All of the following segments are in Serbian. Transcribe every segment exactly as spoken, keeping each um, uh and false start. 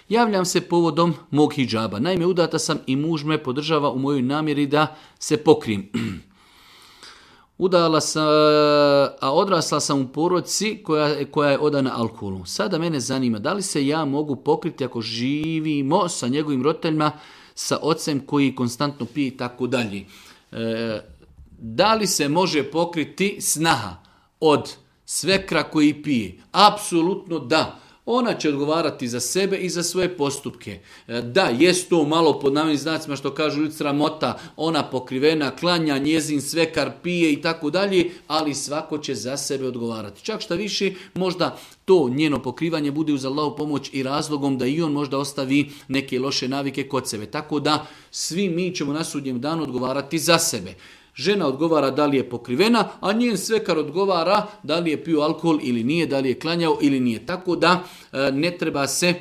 Javljam se povodom mog hidžaba. Naime, udata sam i muž me podržava u mojoj namjeri da se pokrijem. Udala sam, a odrasla sam u porodici koja, koja je odana alkoholu. Sada mene zanima da li se ja mogu pokriti ako živimo sa njegovim roditeljima, sa ocem koji konstantno pije i tako dalje. E, da li se može pokriti snaha od svekra koji pije? Apsolutno da. Ona će odgovarati za sebe i za svoje postupke. Da, jest to malo pod navodnim znacima što kažu ljudi sramota, ona pokrivena, klanja, njezin svekar pije i tako dalje, ali svako će za sebe odgovarati. Čak šta više, možda to njeno pokrivanje bude uz Allahu pomoć i razlogom da i on možda ostavi neke loše navike kod sebe. Tako da svi mi ćemo na sudnjem danu odgovarati za sebe. Žena odgovara da li je pokrivena, a njen svekar odgovara da li je pio alkohol ili nije, da li je klanjao ili nije. Tako da ne treba se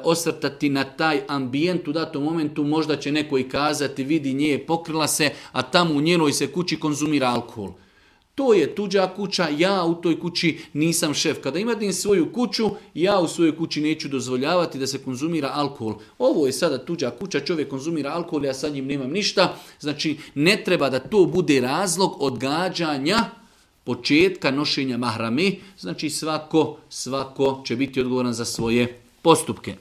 osvrtati na taj ambijent u datom momentu. Možda će neko i kazati, vidi nje je pokrila se, a tamo u njenoj se kući konzumira alkohol. To je tuđa kuća, ja u toj kući nisam šef. Kada imate svoju kuću, ja u svojoj kući neću dozvoljavati da se konzumira alkohol. Ovo je sada tuđa kuća, čovjek konzumira alkohol, ja sa njim nemam ništa. Znači, ne treba da to bude razlog odgađanja početka nošenja mahrame. Znači, svako, svako će biti odgovoran za svoje postupke.